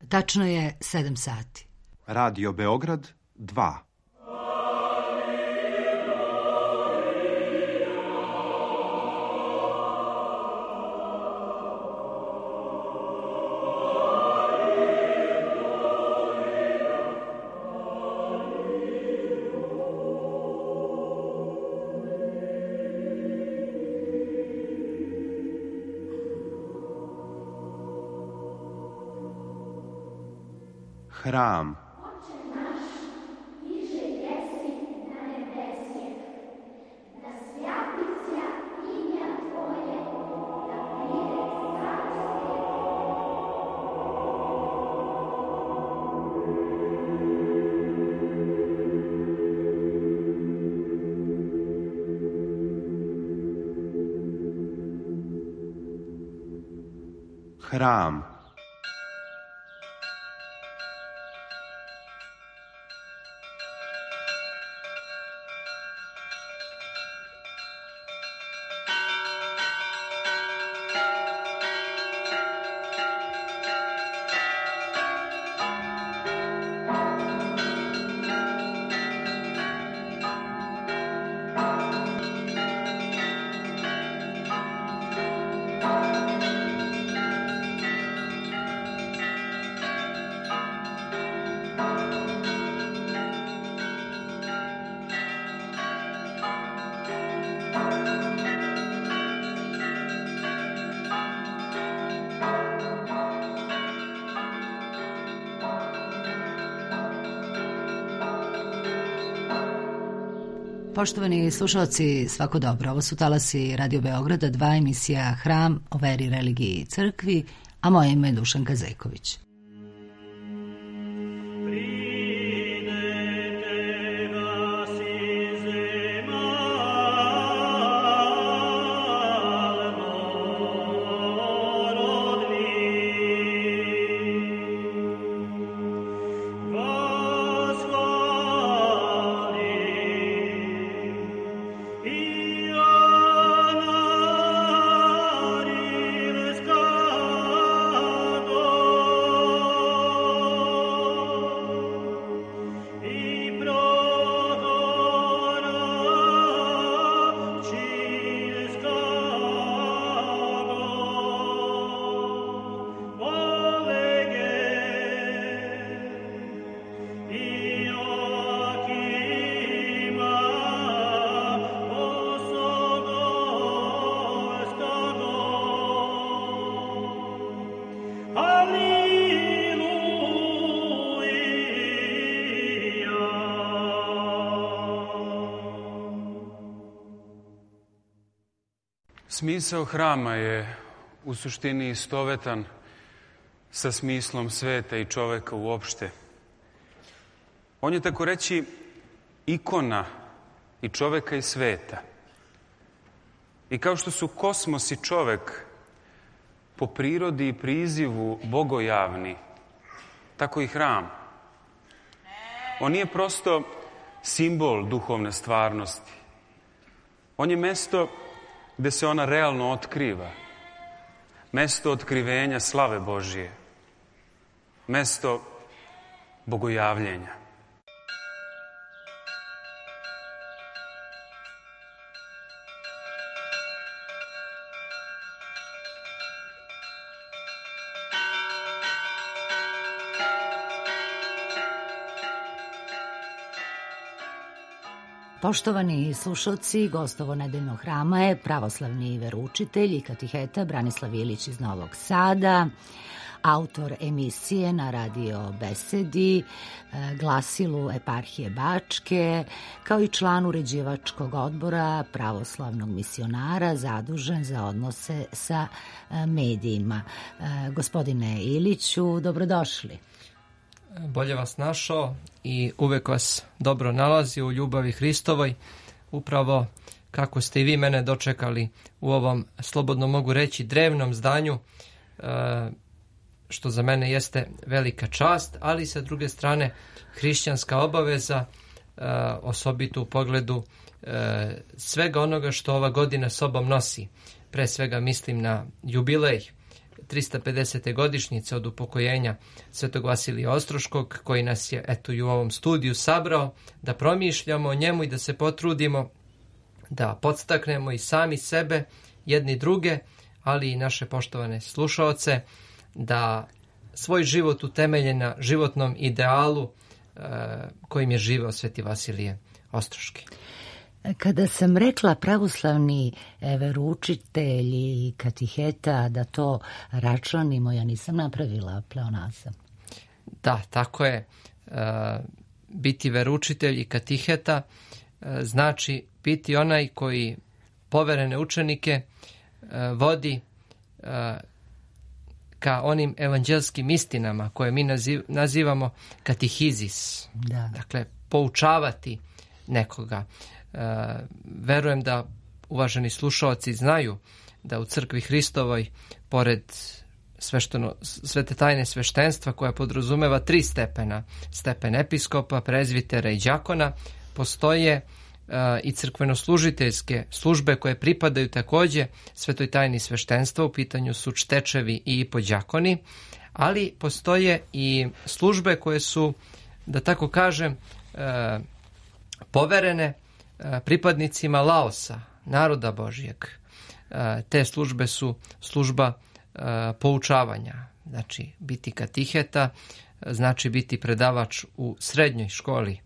Tačno je 7 sati. Radio Beograd 2. Hram. Hram. Poštovani slušalci, svako dobro. Ovo su talasi Radio Beograda 2, emisija Hram o veri, religiji i crkvi, a moje ime je Dušanka Zeković. Smisao hrama je u suštini istovetan sa smislom sveta i čoveka uopšte. On je, tako reći, ikona i čoveka i sveta. I kao što su kosmos i čovek po prirodi i prizivu bogojavni, tako i hram. On nije prosto simbol duhovne stvarnosti. On je mesto gde se ona realno otkriva. Mesto otkrivenja slave Božije. Mesto bogojavljenja. Poštovani slušalci, gost ovo nedeljnog hrama je pravoslavni veroučitelj i katiheta Branislav Ilić iz Novog Sada, autor emisije na Radio Besedi, glasilu Eparhije Bačke, kao i član uređivačkog odbora pravoslavnog misionara zadužen za odnose sa medijima. Gospodine Iliću, dobrodošli. Bolje vas našao i uvek vas dobro nalazi u ljubavi Hristovoj, upravo kako ste i vi mene dočekali u ovom, slobodno mogu reći, drevnom zdanju, što za mene jeste velika čast, ali sa druge strane hrišćanska obaveza, osobito u pogledu svega onoga što ova godina sobom nosi. Pre svega mislim na jubilej 350. godišnjice od upokojenja Svetog Vasilija Ostroškog, koji nas je eto i u ovom studiju sabrao da promišljamo o njemu i da se potrudimo da podstaknemo i sami sebe, jedni druge, ali i naše poštovane slušaoce, da svoj život utemelje na životnom idealu kojim je živeo Sveti Vasilije Ostroški. Kada sam rekla pravoslavni veroučitelj i katiheta da to računimo, ja nisam napravila pleonazam. Da, tako je. Biti veroučitelj i katiheta znači biti onaj koji poverene učenike vodi ka onim evanđelskim istinama koje mi nazivamo katihizis. Da. Dakle, poučavati nekoga. Verujem da uvaženi slušaoci znaju da u crkvi Hristovoj, pored svete tajne sveštenstva koja podrazumeva 3 stepena, stepen episkopa, prezvitera i đakona, postoje i crkvenoslužiteljske službe koje pripadaju takođe svetoj tajni sveštenstva, u pitanju su čtečevi i podđakoni, ali postoje i službe koje su, da tako kažem, poverene pripadnicima Laosa, naroda Božijeg. Te službe su služba poučavanja. Znači, biti katiheta znači biti predavač u srednjoj školi,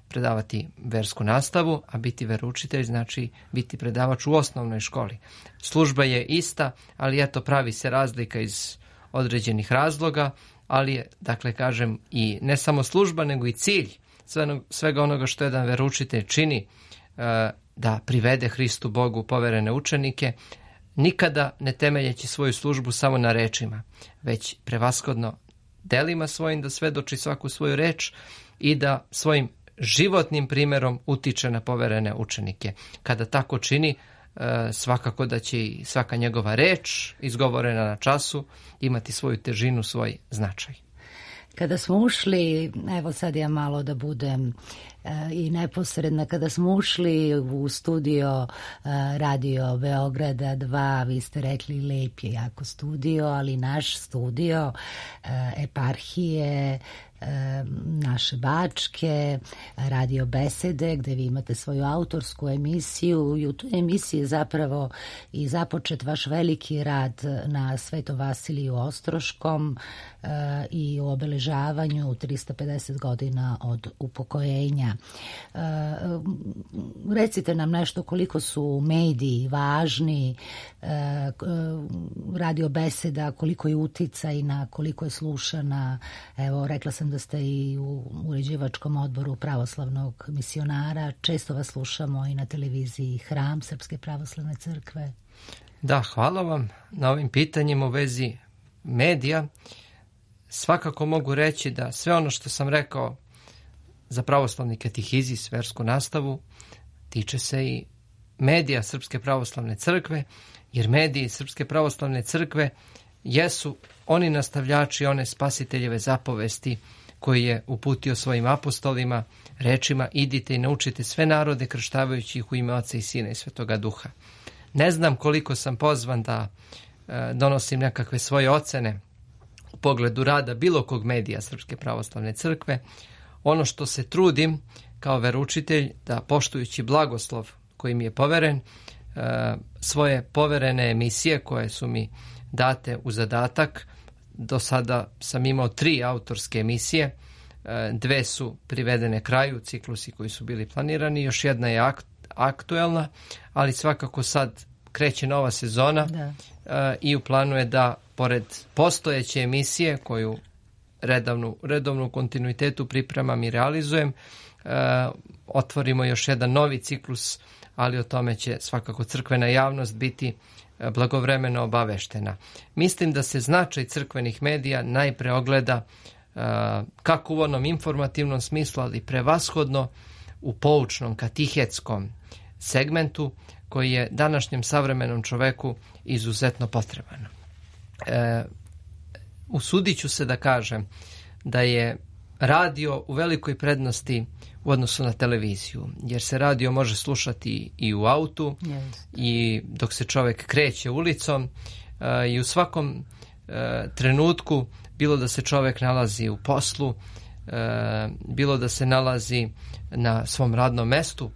predavati versku nastavu, a biti veroučitelj znači biti predavač u osnovnoj školi. Služba je ista, ali eto pravi se razlika iz određenih razloga, ali je, dakle, kažem, i ne samo služba, nego i cilj svega onoga što jedan veroučitelj čini, da privede Hristu Bogu poverene učenike, nikada ne temeljeći svoju službu samo na rečima, već prevashodno delima svojim da svedoči svaku svoju reč i da svojim životnim primjerom utiče na poverene učenike. Kada tako čini, svakako da će i svaka njegova reč izgovorena na času imati svoju težinu, svoj značaj. Kada smo ušli, evo sad ja malo da budem i neposredna, kada smo ušli u studio Radio Beograda 2, vi ste rekli lep je jako studio, ali naš studio eparhije naše Bačke, Radio Besede, gde vi imate svoju autorsku emisiju i u toj emisiji zapravo i započet vaš veliki rad na Svetom Vasiliju Ostroškom i u obeležavanju 350 godina od upokojenja. Recite nam nešto koliko su mediji važni, Radio Beseda, koliko je uticajna, koliko je slušana. Evo, rekla sam da ste i u uređivačkom odboru pravoslavnog misionara. Često vas slušamo i na televiziji Hram Srpske pravoslavne crkve. Da, hvala vam na ovim pitanjima u vezi medija. Svakako mogu reći da sve ono što sam rekao za pravoslavni katehizis, versku nastavu, tiče se i medija Srpske pravoslavne crkve, jer mediji Srpske pravoslavne crkve jesu oni nastavljači one spasiteljeve zapovesti koji je uputio svojim apostolima rečima: idite i naučite sve narode krštavajući ih u ime Oca i Sina i Svetoga Duha. Ne znam koliko sam pozvan da donosim nekakve svoje ocene u pogledu rada bilo kog medija Srpske pravoslavne crkve. Ono što se trudim kao veroučitelj da, poštujući blagoslov koji mi je poveren, svoje poverene emisije koje su mi date u zadatak, do sada sam imao 3 autorske emisije, 2 su privedene kraju, ciklusi koji su bili planirani, još jedna je aktuelna, ali svakako sad kreće nova sezona i u planu je da pored postojeće emisije koju redovnu kontinuitetu pripremam i realizujem, otvorimo još jedan novi ciklus, ali o tome će svakako crkvena javnost biti blagovremeno obaveštena. Mislim da se značaj crkvenih medija najpre ogleda kako u onom informativnom smislu, ali prevashodno u poučnom, katihetskom segmentu koji je današnjem savremenom čoveku izuzetno potreban. Usudit ću se da kažem da je radio u velikoj prednosti u odnosu na televiziju, jer se radio može slušati i u autu i dok se čovjek kreće ulicom i u svakom trenutku, bilo da se čovjek nalazi u poslu, bilo da se nalazi na svom radnom mestu,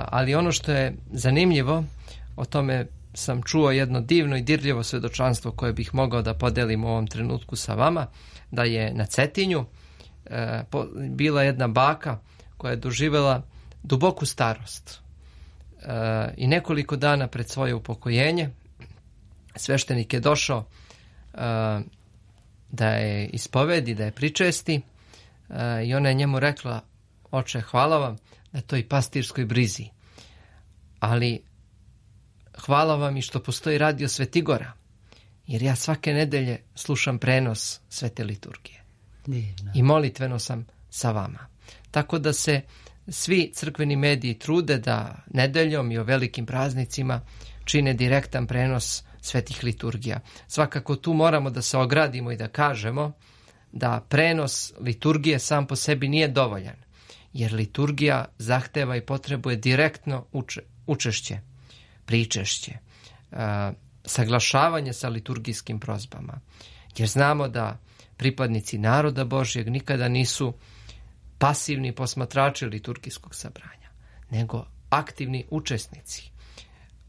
ali ono što je zanimljivo, o tome sam čuo jedno divno i dirljivo svedočanstvo koje bih mogao da podelim u ovom trenutku sa vama, da je na Cetinju bila jedna baka koja je doživjela duboku starost i nekoliko dana pred svoje upokojenje sveštenik je došao da je ispovedi, da je pričesti i ona je njemu rekla: oče, hvala vam na toj pastirskoj brizi, ali hvala vam i što postoji radio Svetigora, jer ja svake nedelje slušam prenos svete liturgije. Divno. I molitveno sam sa vama. Tako da se svi crkveni mediji trude da nedeljom i o velikim praznicima čine direktan prenos svetih liturgija. Svakako tu moramo da se ogradimo i da kažemo da prenos liturgije sam po sebi nije dovoljan, jer liturgija zahteva i potrebuje direktno učešće, pričešće, saglašavanje sa liturgijskim prozbama. Jer znamo da pripadnici naroda Božjeg nikada nisu pasivni posmatrači liturgijskog sabranja, nego aktivni učesnici,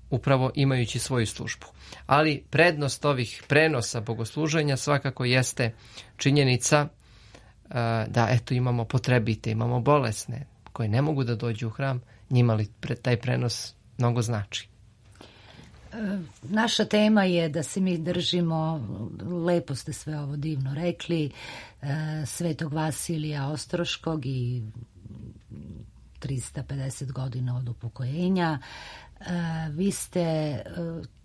upravo imajući svoju službu. Ali prednost ovih prenosa bogosluženja svakako jeste činjenica da eto imamo potrebite, imamo bolesne koje ne mogu da dođu u hram, njima li taj prenos mnogo znači. Naša tema je da se mi držimo, lepo ste sve ovo divno rekli, Svetog Vasilija Ostroškog i 350 godina od upokojenja. Vi ste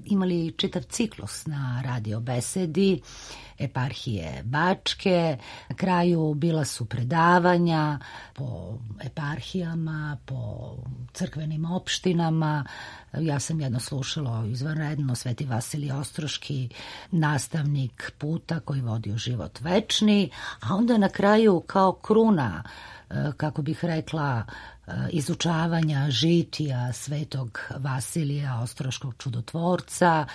imali čitav ciklus na radio besedi eparhije Bačke. Na kraju bila su predavanja po eparhijama, po crkvenim opštinama. Ja sam jedno slušala izvanredno, Sveti Vasilij Ostroški, nastavnik puta koji vodi u život večni, a onda na kraju kao kruna, kako bih rekla, izučavanja žitija Svetog Vasilija Ostroškog čudotvorca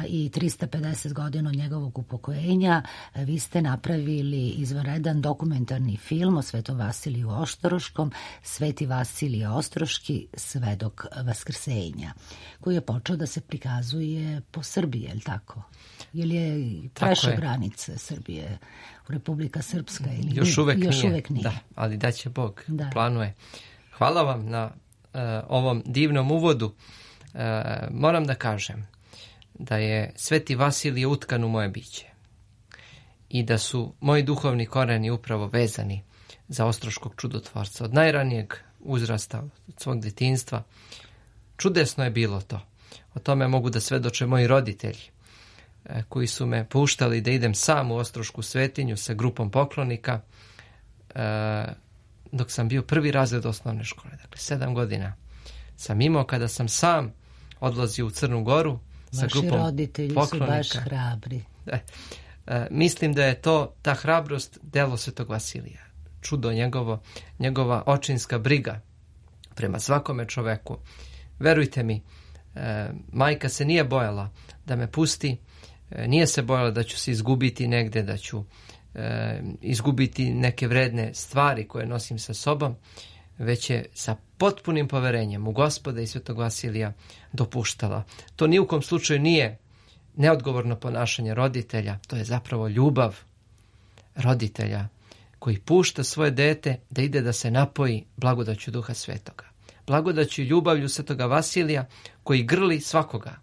i 350 godina od njegovog upokojenja, vi ste napravili izvanredan dokumentarni film o Svetom Vasiliju Ostroškom, Sveti Vasilije Ostroški, svedok vaskrsenja, koji je počeo da se prikazuje po Srbiji, je li tako? Ili je prešao granice Srbije u Republika Srpska? Ili još uvek nije. Da, ali da će Bog, planuje. Hvala vam na ovom divnom uvodu. Moram da kažem da je Sveti Vasilij utkan u moje biće i da su moji duhovni koreni upravo vezani za Ostroškog čudotvorca. Od najranijeg uzrasta, od svog detinjstva. Čudesno je bilo to. O tome mogu da svedoče moji roditelji, koji su me puštali da idem sam u Ostrošku svetinju sa grupom poklonika, dok sam bio prvi razred osnovne škole. Dakle, 7 godina sam imao kada sam sam odlazio u Crnu Goru sa grupom poklonika. Vaši roditelji su baš hrabri. Mislim da je ta hrabrost delo Svetog Vasilija. Čudo njegova očinska briga prema svakome čoveku. Verujte mi, majka se nije bojala da me pusti, nije se bojala da ću se izgubiti negde, da ću izgubiti neke vredne stvari koje nosim sa sobom, već je sa potpunim poverenjem u Gospoda i Svetog Vasilija dopuštala. To ni u kom slučaju nije neodgovorno ponašanje roditelja, to je zapravo ljubav roditelja koji pušta svoje dete da ide da se napoji blagodaću Duha Svetoga. Blagodaću i ljubavlju Svetoga Vasilija koji grli svakoga,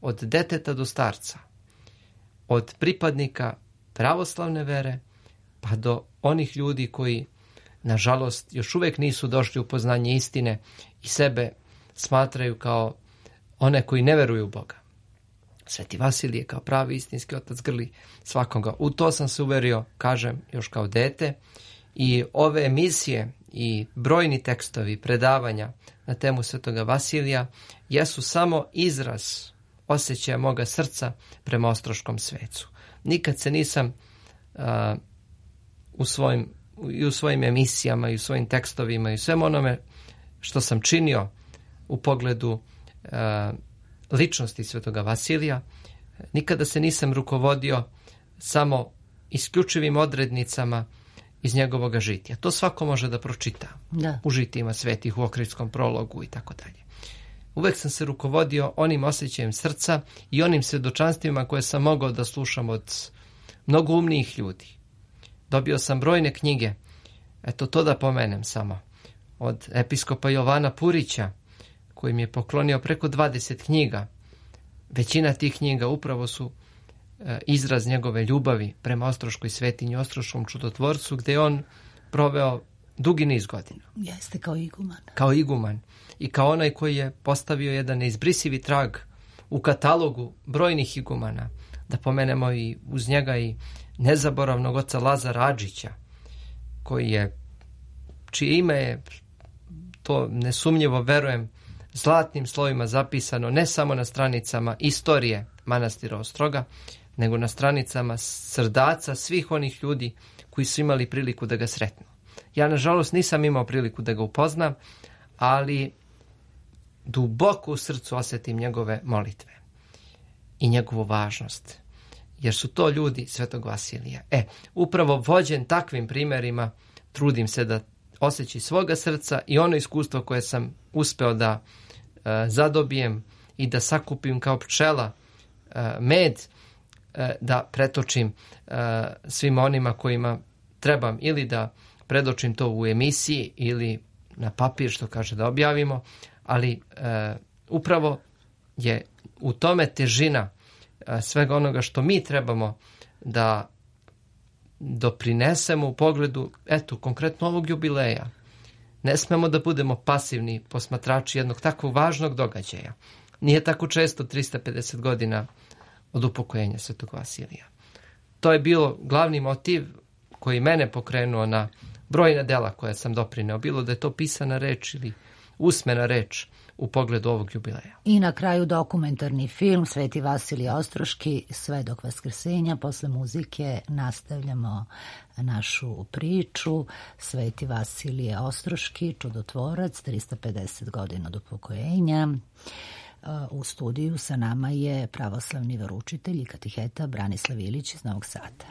od deteta do starca, od pripadnika pravoslavne vere pa do onih ljudi koji, nažalost, još uvijek nisu došli u poznanje istine i sebe smatraju kao one koji ne veruju u Boga. Sveti Vasilije kao pravi istinski otac grli svakoga. U to sam se uverio, kažem, još kao dete, i ove emisije i brojni tekstovi predavanja na temu Svetoga Vasilija jesu samo izraz osjećaja moga srca prema Ostroškom svecu. Nikad se nisam u svojim emisijama i u svojim tekstovima i u svem onome što sam činio u pogledu ličnosti Svetoga Vasilija, nikada se nisam rukovodio samo isključivim odrednicama iz njegovog žitija. To svako može da pročita u žitijima svetih, u Ohridskom prologu i tako dalje. Uvek sam se rukovodio onim osjećajem srca i onim svjedočanstvima koje sam mogao da slušam od mnogo umnijih ljudi. Dobio sam brojne knjige, eto to da pomenem samo, od episkopa Jovana Purića, koji mi je poklonio preko 20 knjiga. Većina tih knjiga upravo su izraz njegove ljubavi prema Ostroškoj svetinji, Ostroškom čudotvorcu, gdje je on proveo dugi niz godina. Jeste, kao iguman. Kao iguman i kao onaj koji je postavio jedan neizbrisivi trag u katalogu brojnih igumana. Da pomenemo i uz njega i nezaboravnog oca Lazara Adžića, čije ime je, to nesumnjivo verujem, zlatnim slovima zapisano ne samo na stranicama istorije manastira Ostroga, nego na stranicama srdaca svih onih ljudi koji su imali priliku da ga sretnu. Ja, nažalost, nisam imao priliku da ga upoznam, ali duboko u srcu osjetim njegove molitve i njegovu važnost, jer su to ljudi Svetog Vasilija. Upravo vođen takvim primjerima, trudim se da osjeći svoga srca i ono iskustvo koje sam uspeo da zadobijem i da sakupim kao pčela med, da pretočim svima onima kojima trebam ili da predočim to u emisiji ili na papir, što kaže, da objavimo, ali upravo je u tome težina svega onoga što mi trebamo da doprinesemo u pogledu, konkretno ovog jubileja. Ne smemo da budemo pasivni posmatrači jednog takvog važnog događaja. Nije tako često 350 godina od upokojenja Svetog Vasilija. To je bilo glavni motiv koji mene pokrenuo na brojna dela koja sam doprineo, bilo da je to pisana reč ili usmena reč u pogledu ovog jubileja. I na kraju dokumentarni film Sveti Vasilij Ostroški, Svedok Vaskrsenja. Posle muzike nastavljamo našu priču. Sveti Vasilije Ostroški, čudotvorac, 350 godina od upokojenja. U studiju sa nama je pravoslavni veroučitelj i katiheta Branislav Ilić iz Novog Sada.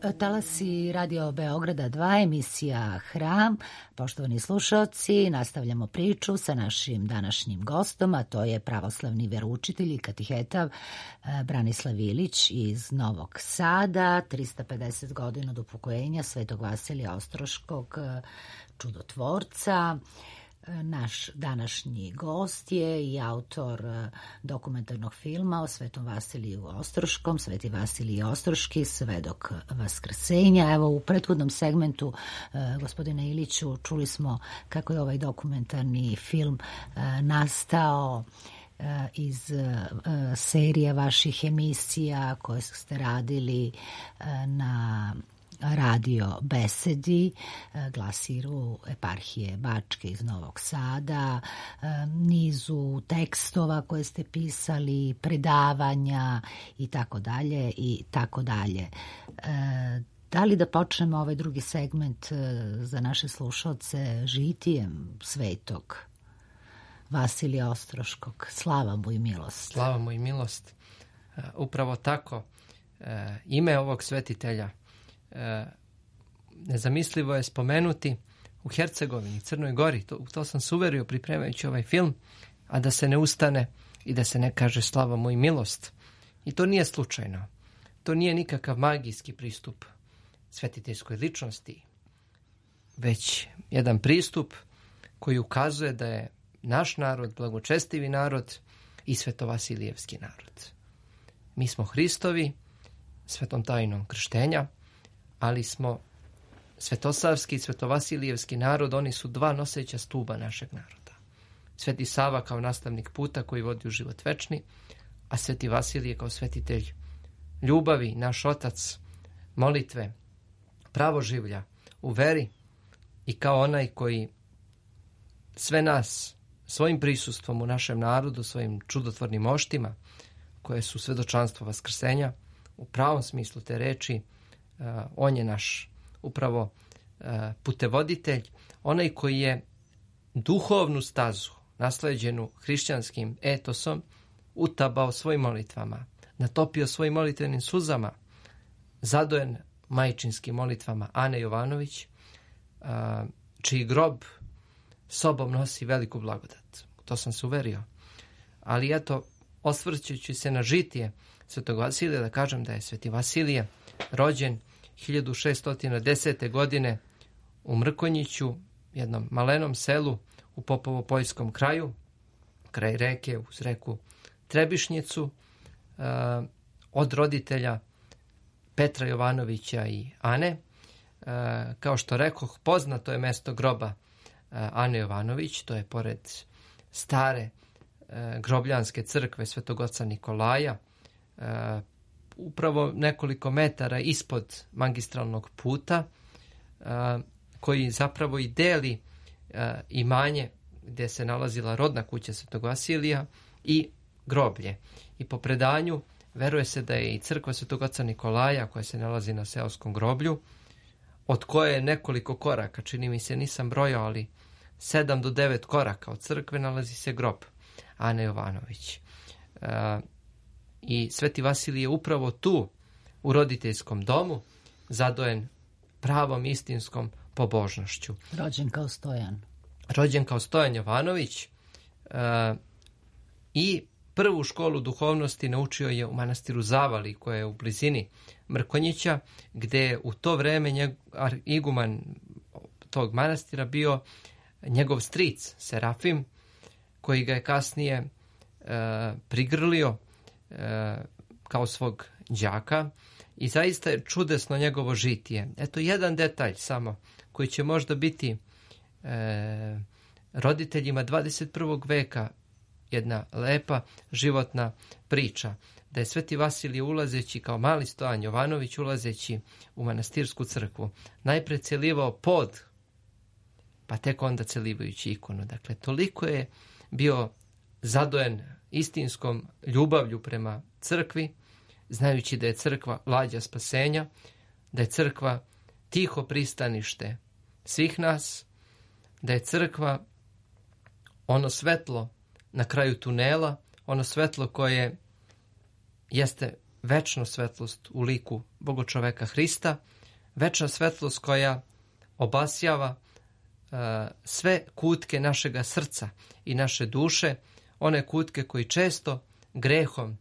Talasi Radio Beograda 2, emisija Hram. Poštovani slušaoci, nastavljamo priču sa našim današnjim gostom, a to je pravoslavni veroučitelj i katiheta Branislav Ilić iz Novog Sada, 350 godina od upokojenja Svetog Vasilija Ostroškog, čudotvorca. Naš današnji gost je i autor dokumentarnog filma o Svetom Vasiliju Ostroškom, Sveti Vasilij Ostroški, svedok Vaskrsenja. Evo, u prethodnom segmentu, gospodine Iliću, čuli smo kako je ovaj dokumentarni film nastao iz serije vaših emisija koje ste radili na Radio Besedi, glasiru eparhije Bačke iz Novog Sada, nizu tekstova koje ste pisali, predavanja i tako dalje i tako dalje. Da li da počnemo ovaj drugi segment za naše slušalce žitijem svetog Vasilija Ostroškog? Slava mu i milost. Slava mu i milost. Upravo tako. Ime ovog svetitelja nezamislivo je spomenuti u Hercegovini, Crnoj Gori. To sam se uverio pripremajući ovaj film, a da se ne ustane i da se ne kaže slava mu i milost. I to nije slučajno. To nije nikakav magijski pristup svetiteljskoj ličnosti, već jedan pristup koji ukazuje da je naš narod blagočestivi narod i svetovasilijevski narod. Mi smo Hristovi svetom tajnom krštenja, ali smo svetosavski i svetovasilijevski narod, oni su dva noseća stuba našeg naroda. Sveti Sava kao nastavnik puta koji vodi u život večni, a Sveti Vasilije kao svetitelj ljubavi, naš otac, molitve, pravoživlja u veri i kao onaj koji sve nas svojim prisustvom u našem narodu, svojim čudotvornim moštima, koje su svedočanstvo vaskrsenja, u pravom smislu te reči, on je naš upravo putevoditelj, onaj koji je duhovnu stazu nasleđenu hrišćanskim etosom utabao svojim molitvama, natopio svojim molitvenim suzama, zadojen majčinskim molitvama Ane Jovanović, čiji grob sobom nosi veliku blagodat. To sam se uverio. Ali eto, osvrćući se na žitije Svetog Vasilija, da kažem da je Sveti Vasilije rođen 1610. godine u Mrkonjiću, jednom malenom selu u Popovo-Poljskom kraju, kraj reke, uz reku Trebišnjicu, od roditelja Petra Jovanovića i Ane. Kao što rekoh, poznato je mesto groba Ane Jovanović, to je pored stare grobljanske crkve Svetog oca Nikolaja, upravo nekoliko metara ispod magistralnog puta, koji zapravo i deli imanje gdje se nalazila rodna kuća Svetog Vasilija i groblje. I po predanju veruje se da je i crkva Svetog oca Nikolaja, koja se nalazi na seoskom groblju, od koje je nekoliko koraka, čini mi se, nisam brojao, ali 7 do 9 koraka od crkve nalazi se grob Ane Jovanović. I Sveti Vasilij je upravo tu, u roditeljskom domu, zadojen pravom istinskom pobožnošću. Rođen kao Stojan. Rođen kao Stojan Jovanović i prvu školu duhovnosti naučio je u manastiru Zavali, koja je u blizini Mrkonjića, gde je u to vreme iguman tog manastira bio njegov stric Serafim, koji ga je kasnije prigrlio kao svog đaka i zaista je čudesno njegovo žitije. Eto jedan detalj samo koji će možda biti roditeljima 21. veka jedna lepa životna priča, da je Sveti Vasilije ulazeći kao mali Stojan Jovanović, ulazeći u manastirsku crkvu, najpre celivao pod, pa tek onda celivajući ikonu. Dakle, toliko je bio zadojen istinskom ljubavlju prema crkvi, znajući da je crkva lađa spasenja, da je crkva tiho pristanište svih nas, da je crkva ono svetlo na kraju tunela, ono svetlo koje jeste večnu svetlost u liku Bogočoveka Hrista, večna svetlost koja obasjava sve kutke našega srca i naše duše, one kutke koji često grehom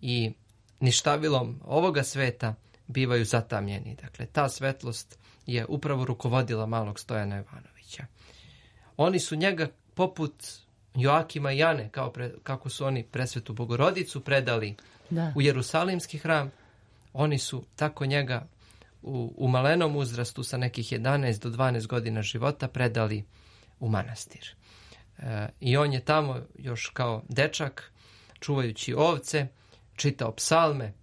i ništavilom ovoga sveta bivaju zatamljeni. Dakle, ta svetlost je upravo rukovodila malog Stojana Jovanovića. Oni su njega poput Joakima i Jane, kako su oni presvetu Bogorodicu predali u Jerusalimski hram, oni su tako njega u malenom uzrastu sa nekih 11 do 12 godina života predali u manastir. I on je tamo još kao dečak, čuvajući ovce, čitao psalme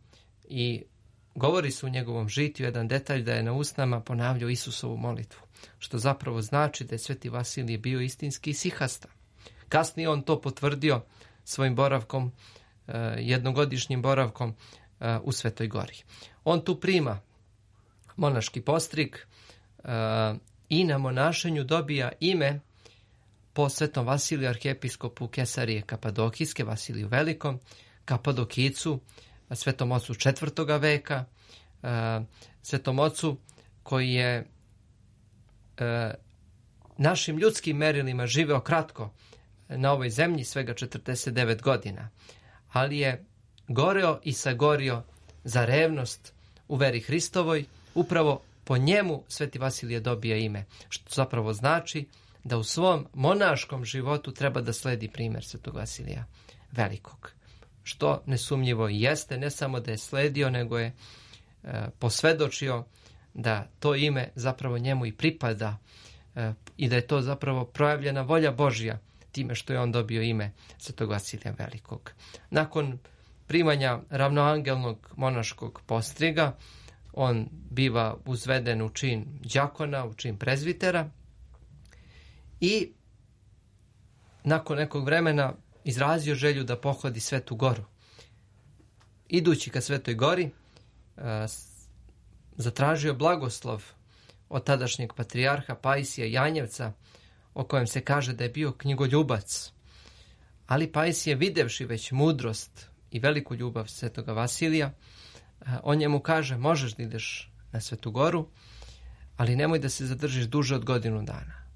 i govori se u njegovom žitiju jedan detalj da je na usnama ponavljao Isusovu molitvu, što zapravo znači da je Sveti Vasilije bio istinski isihasta. Kasnije on to potvrdio svojim boravkom, jednogodišnjim boravkom u Svetoj Gori. On tu prima monaški postrig i na monašenju dobija ime po Svetom Vasiliju arhijepiskopu Kesarije Kapadokijske, Vasiliju Velikom, Kapadokicu, Svetom ocu 4. veka, Svetom ocu koji je našim ljudskim merilima živeo kratko na ovoj zemlji, svega 49 godina, ali je goreo i sagorio za revnost u veri Hristovoj. Upravo po njemu Sveti Vasilije dobija ime, što zapravo znači da u svom monaškom životu treba da sledi primjer Svetog Vasilija Velikog. Što nesumnjivo i jeste, ne samo da je sledio, nego je posvedočio da to ime zapravo njemu i pripada i da je to zapravo projavljena volja Božja time što je on dobio ime Svetog Vasilija Velikog. Nakon primanja ravnoangelnog monaškog postriga, on biva uzveden u čin đakona, u čin prezvitera i nakon nekog vremena izrazio želju da pohodi Svetu Goru. Idući ka Svetoj Gori, zatražio blagoslov od tadašnjeg patrijarha Pajsija Janjevca, o kojem se kaže da je bio knjigoljubac. Ali Pajsije, videvši već mudrost i veliku ljubav Svetoga Vasilija, on njemu kaže: možeš da ideš na Svetu Goru, ali nemoj da se zadržiš duže od godinu dana.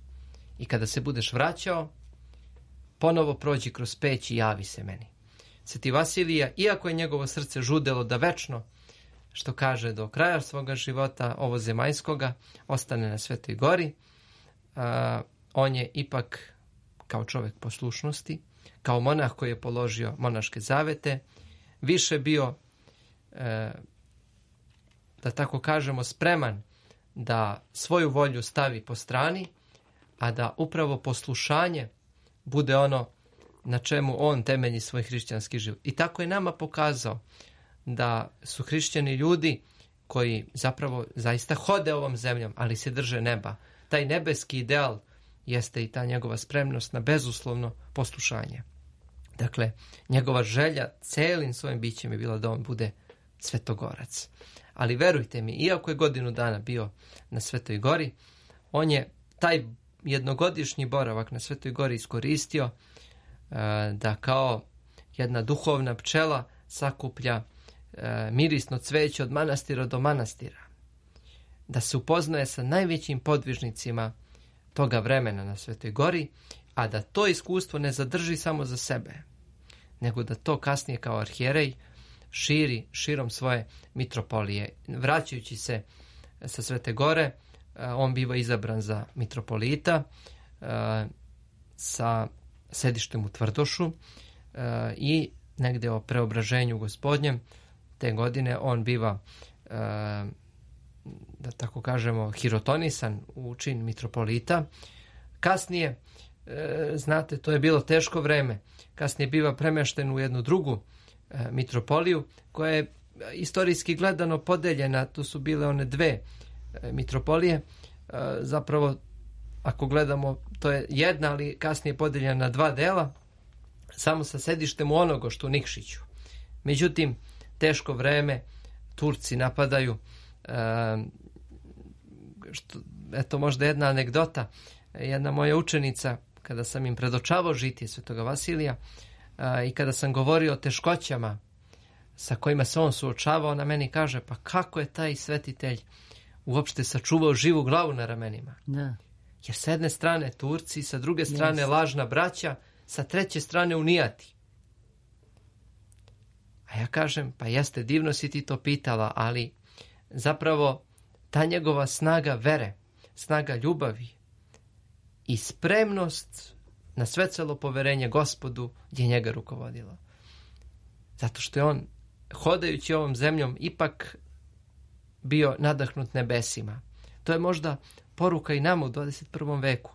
I kada se budeš vraćao, ponovo prođi kroz peć i javi se meni. Sveti Vasilije, iako je njegovo srce žudelo da večno, što kaže, do kraja svoga života ovo zemaljskoga, ostane na Svetoj Gori, on je ipak kao čovjek poslušnosti, kao monah koji je položio monaške zavete, više bio, da tako kažemo, spreman da svoju volju stavi po strani, a da upravo poslušanje bude ono na čemu on temelji svoj hrišćanski život. I tako je nama pokazao da su hrišćani ljudi koji zapravo zaista hode ovom zemljom, ali se drže neba. Taj nebeski ideal jeste i ta njegova spremnost na bezuslovno poslušanje. Dakle, njegova želja celim svojim bićem je bila da on bude svetogorac. Ali verujte mi, iako je godinu dana bio na Svetoj Gori, on je taj jednogodišnji boravak na Svetoj Gori iskoristio da kao jedna duhovna pčela sakuplja mirisno cveće od manastira do manastira. Da se upoznaje sa najvećim podvižnicima toga vremena na Svetoj Gori, a da to iskustvo ne zadrži samo za sebe, nego da to kasnije kao arhijerej širi širom svoje mitropolije. Vraćajući se sa Svete Gore, on biva izabran za mitropolita sa sedištem u Tvrdošu i negde o preobraženju Gospodnjem te godine on biva, da tako kažemo, hirotonisan u čin mitropolita. Kasnije, znate, to je bilo teško vreme, kasnije biva premešten u jednu drugu mitropoliju koja je istorijski gledano podeljena. To su bile one dve mitropolije. Zapravo, ako gledamo, to je jedna, ali kasnije podeljena na dva dela, samo sa sedištem u Onogoštu, u Nikšiću. Međutim, teško vreme, Turci napadaju. Eto, možda jedna anegdota. Jedna moja učenica, kada sam im predočavao žitije Svetoga Vasilija i kada sam govorio o teškoćama sa kojima se on suočavao, na meni kaže, pa kako je taj svetitelj uopšte sačuvao živu glavu na ramenima? Da. Jer s jedne strane Turci, sa druge strane lažna braća, sa treće strane unijati. A ja kažem, pa jeste, divno si ti to pitala, ali zapravo ta njegova snaga vere, snaga ljubavi i spremnost na svecelo poverenje Gospodu je njega rukovodilo. Zato što je on, hodajući ovom zemljom, ipak bio nadahnut nebesima. To je možda poruka i nama u 21. veku.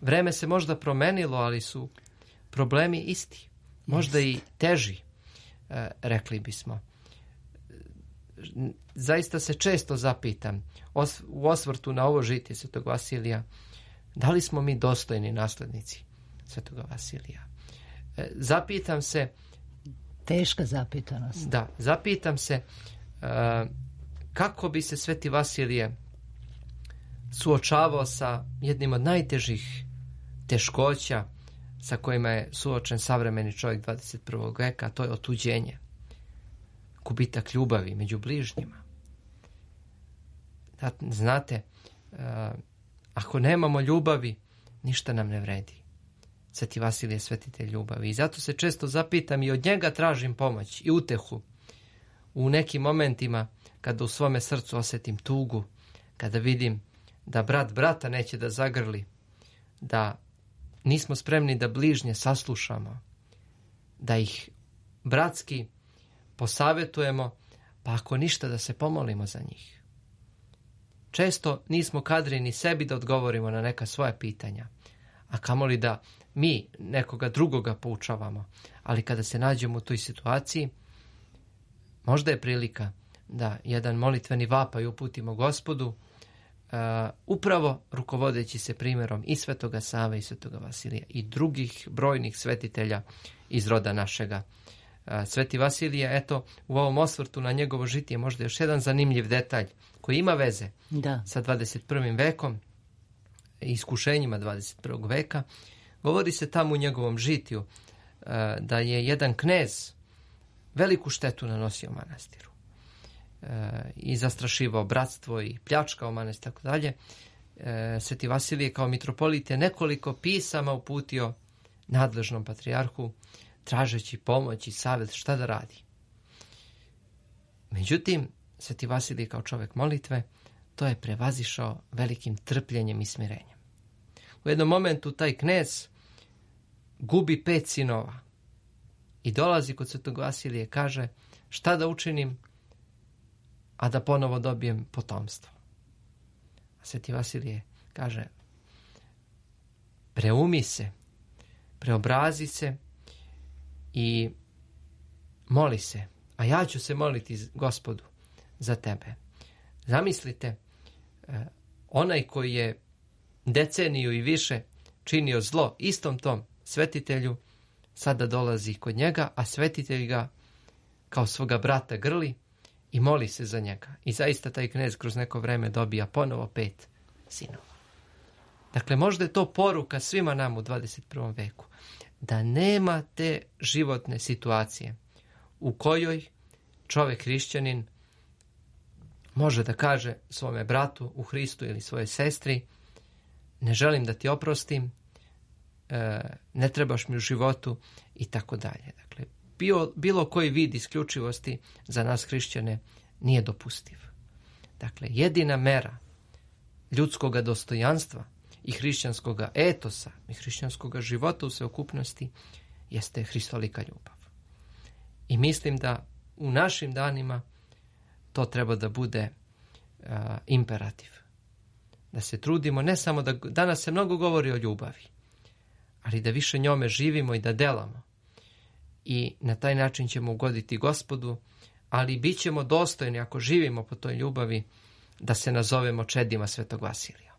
Vreme se možda promenilo, ali su problemi isti. Možda i teži, rekli bismo. Zaista se često zapitam u osvrtu na ovo žitije Svetog Vasilija, da li smo mi dostojni naslednici Svetoga Vasilija? Zapitam se... Teška zapitanost. Da, zapitam se kako bi se Sveti Vasilije suočavao sa jednim od najtežih teškoća sa kojima je suočen savremeni čovjek 21. veka, a to je otuđenje. Gubitak ljubavi među bližnjima. Znate, ako nemamo ljubavi, ništa nam ne vredi. Sveti Vasilije je svetitelj ljubavi. I zato se često zapitam i od njega tražim pomoć i utehu. U nekim momentima, kada u svome srcu osjetim tugu, kada vidim da brat brata neće da zagrli, da nismo spremni da bližnje saslušamo, da ih bratski posavetujemo, pa ako ništa da se pomolimo za njih. Često nismo kadri ni sebi da odgovorimo na neka svoja pitanja, a kamoli da mi nekoga drugoga poučavamo. Ali kada se nađemo u toj situaciji, možda je prilika da jedan molitveni vapaj uputimo Gospodu, upravo rukovodeći se primjerom i Svetoga Save i Svetoga Vasilija i drugih brojnih svetitelja iz roda našega. Sveti Vasilije, eto, u ovom osvrtu na njegovo žitije možda još jedan zanimljiv detalj koji ima veze sa 21. vekom i iskušenjima 21. veka. Govori se tamo u njegovom žitiju da je jedan knez veliku štetu nanosio manastiru i zastrašivao bratstvo i pljačkao manastir, tako dalje. Sveti Vasilije kao mitropolit je nekoliko pisama uputio nadležnom patrijarhu tražeći pomoć i savjet šta da radi. Međutim, Sveti Vasilije kao čovjek molitve to je prevazišao velikim trpljenjem i smirenjem. U jednom momentu taj knez gubi 5 sinova i dolazi kod Svetog Vasilije i kaže šta da učinim, a da ponovo dobijem potomstvo. A Sveti Vasilije kaže preumi se, preobrazi se i moli se, a ja ću se moliti Gospodu za tebe. Zamislite, onaj koji je deceniju i više činio zlo istom tom svetitelju, sada dolazi kod njega, a svetitelj ga kao svoga brata grli i moli se za njega. I zaista taj knez kroz neko vreme dobija ponovo 5 sinova. Dakle, možda je to poruka svima nam u 21. veku, da nema te životne situacije u kojoj čovjek hrišćanin može da kaže svome bratu u Hristu ili svojoj sestri ne želim da ti oprostim, ne trebaš mi u životu i tako dalje. Dakle, bilo koji vid isključivosti za nas hrišćane nije dopustiv. Dakle, jedina mera ljudskog dostojanstva i hrišćanskog etosa i hrišćanskog života u sveukupnosti jeste hristolika ljubav. I mislim da u našim danima to treba da bude imperativ. Da se trudimo, ne samo da danas se mnogo govori o ljubavi, ali da više njome živimo i da delamo. I na taj način ćemo ugoditi Gospodu, ali bit ćemo dostojni ako živimo po toj ljubavi da se nazovemo čedima Svetog Vasilija.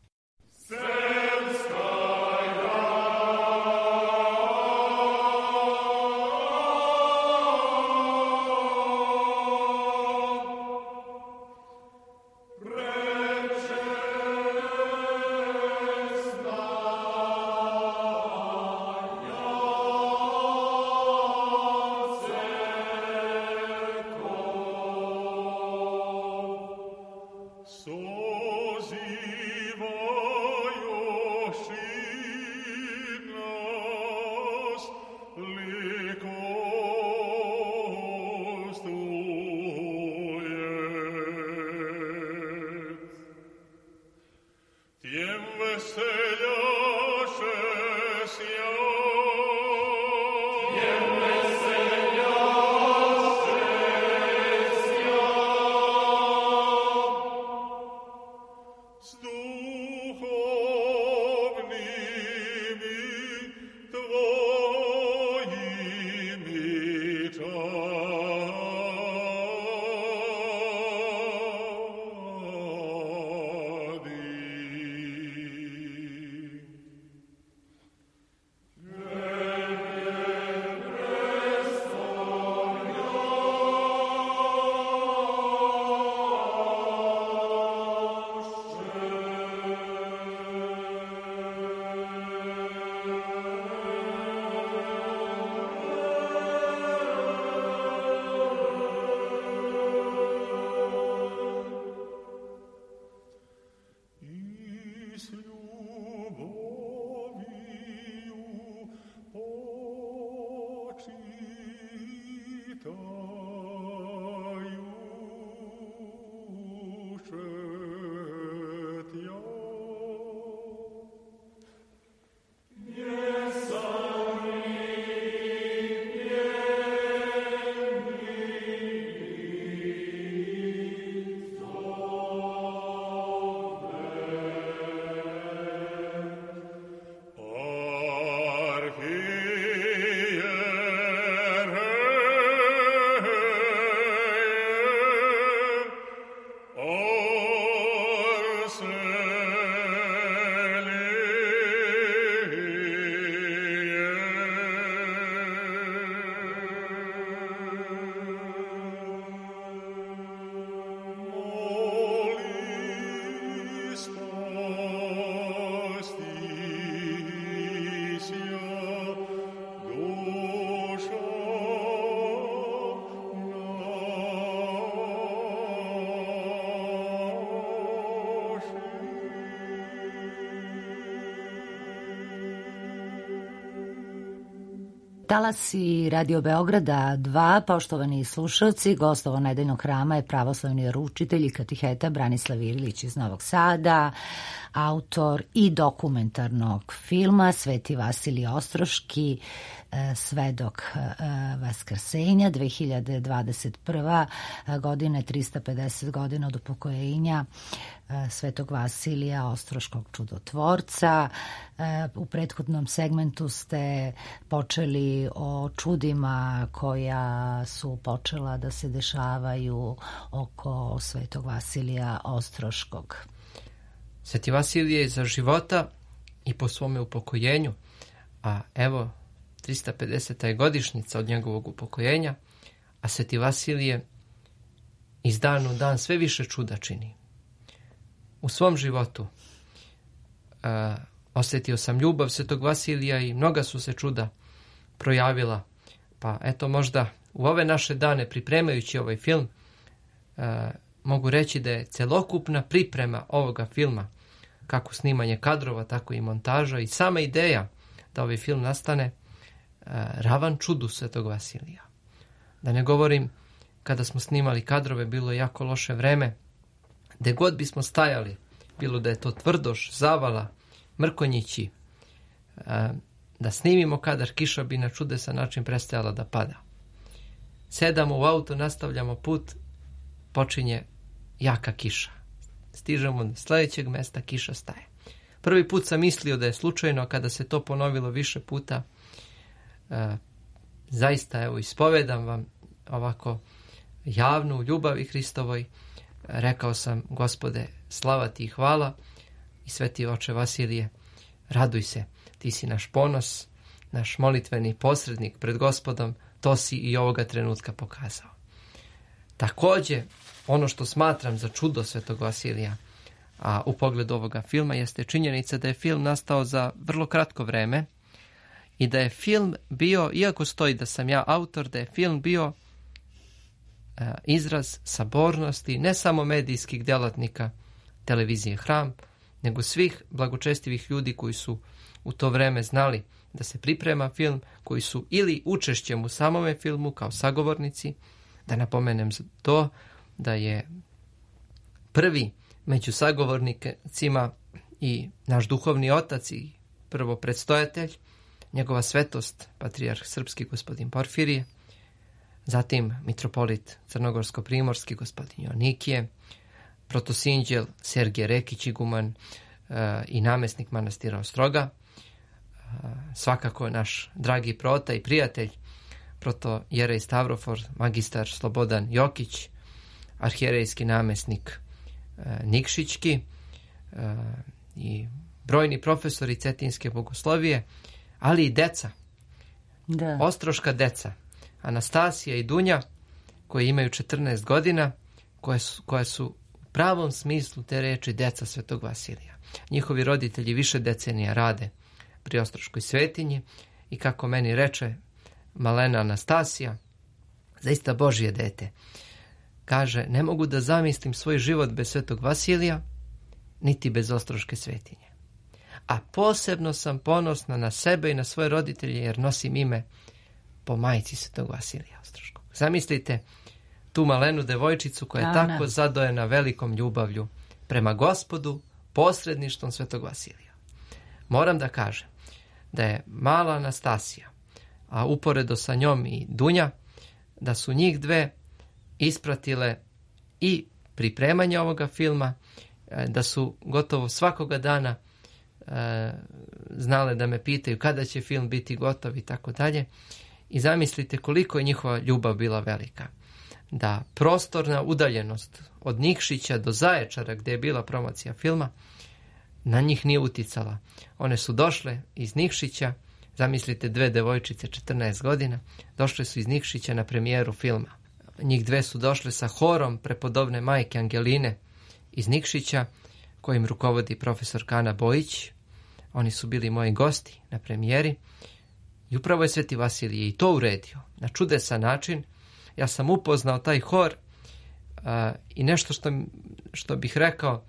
Talasi Radio Beograda 2, poštovani slušalci, gostovo nedeljnog hrama je pravoslavni veroučitelj i katiheta Branislav Ilić iz Novog Sada, autor i dokumentarnog filma Sveti Vasilije Ostroški, Svedok Vaskrsenja, 2021. godine, 350 godina od upokojenja Svetog Vasilija Ostroškog čudotvorca. U prethodnom segmentu ste počeli o čudima koja su počela da se dešavaju oko Svetog Vasilija Ostroškog. Sveti Vasilije je za života i po svome upokojenju, a evo 350. je godišnjica od njegovog upokojenja, a Sveti Vasilije iz dana u dan sve više čuda čini. U svom životu osjetio sam ljubav Svetog Vasilija i mnoga su se čuda projavila. Pa eto, možda u ove naše dane pripremajući ovaj film mogu reći da je celokupna priprema ovoga filma, kako snimanje kadrova, tako i montaža i sama ideja da ovaj film nastane, ravan čudu Svetog Vasilija. Da ne govorim, kada smo snimali kadrove, bilo je jako loše vreme. Gde god bismo stajali, bilo da je to Tvrdoš, Zavala, Mrkonjići, da snimimo kadar, kiša bi na čudesan način prestajala da pada. Sedamo u auto, nastavljamo put, počinje jaka kiša. Stižemo do sljedećeg mesta, kiša staje. Prvi put sam mislio da je slučajno, a kada se to ponovilo više puta, zaista, evo, ispovedam vam ovako javno u ljubavi Hristovoj, rekao sam: Gospode, slava ti i hvala, i Sveti Oče Vasilije, raduj se, ti si naš ponos, naš molitveni posrednik pred Gospodom, to si i ovoga trenutka pokazao. Također, ono što smatram za čudo Svetog Vasilija, a u pogledu ovoga filma, jeste činjenica da je film nastao za vrlo kratko vreme i da je film bio, iako stoji da sam ja autor, da je film bio izraz sabornosti ne samo medijskih djelatnika televizije Hram, nego svih blagočestivih ljudi koji su u to vreme znali da se priprema film, koji su ili učešćem u samome filmu kao sagovornici. Da napomenem to da je prvi među sagovornicima i naš duhovni otac i prvo predstojatelj, njegova svetost, patrijarh srpski gospodin Porfirije, zatim mitropolit crnogorsko-primorski gospodin Jonikije, protosinđel Sergije Rekić iguman i namjesnik manastira Ostroga, svakako naš dragi prota i prijatelj protojerej Stavrofor, magistar Slobodan Jokić, arhijerejski namjesnik Nikšićki i brojni profesori cetinske bogoslovije, ali i deca, ostroška deca, Anastasija i Dunja, koji imaju 14 godina, koja su u pravom smislu te reči deca Svetog Vasilija. Njihovi roditelji više decenija rade pri Ostroškoj svetinji i, kako meni reče malena Anastasija, zaista Božje dete, kaže: ne mogu da zamislim svoj život bez Svetog Vasilija, niti bez Ostroške svetinje. A posebno sam ponosna na sebe i na svoje roditelje, jer nosim ime po majci Svetog Vasilija Ostroškog. Zamislite tu malenu devojčicu koja je tako zadojena velikom ljubavlju prema Gospodu, posredništvom Svetog Vasilija. Moram da kažem da je mala Anastasija, a uporedo sa njom i Dunja, da su njih dve ispratile i pripremanje ovoga filma, da su gotovo svakoga dana znale da me pitaju kada će film biti gotov i tako dalje. I zamislite koliko je njihova ljubav bila velika. Da prostorna udaljenost od Nikšića do Zaječara, gdje je bila promocija filma, na njih nije uticala. One su došle iz Nikšića, zamislite dve devojčice 14 godina, došle su iz Nikšića na premijeru filma. Njih dve su došle sa horom prepodobne majke Angeline iz Nikšića, kojim rukovodi profesor Kana Bojić. Oni su bili moji gosti na premijeri i upravo je Sveti Vasilije i to uredio na čudesan način. Ja sam upoznao taj hor i nešto što bih rekao